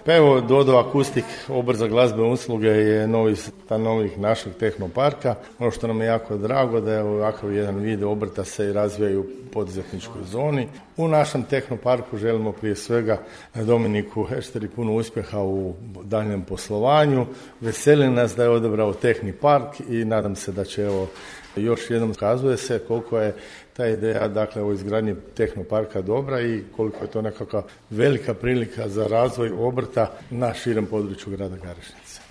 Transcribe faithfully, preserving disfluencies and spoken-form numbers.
Pa evo, Dodo Akustik, obrt za glazbene usluge, je novi stanovnik našeg tehnoparka. Ono što nam je jako drago da je ovakav jedan vid obrta se i razvijaju u poduzetničkoj zoni. U našem tehnoparku želimo prije svega Dominiku Hešteri puno uspjeha u daljnjem poslovanju. Veseli nas da je odabrao Tehni park i nadam se da će, evo, još jednom ukazuje se koliko je ta ideja, dakle, o izgradnji tehnoparka dobra i koliko je to nekakva velika prilika za razvoj obrta na širem području grada Garešnice.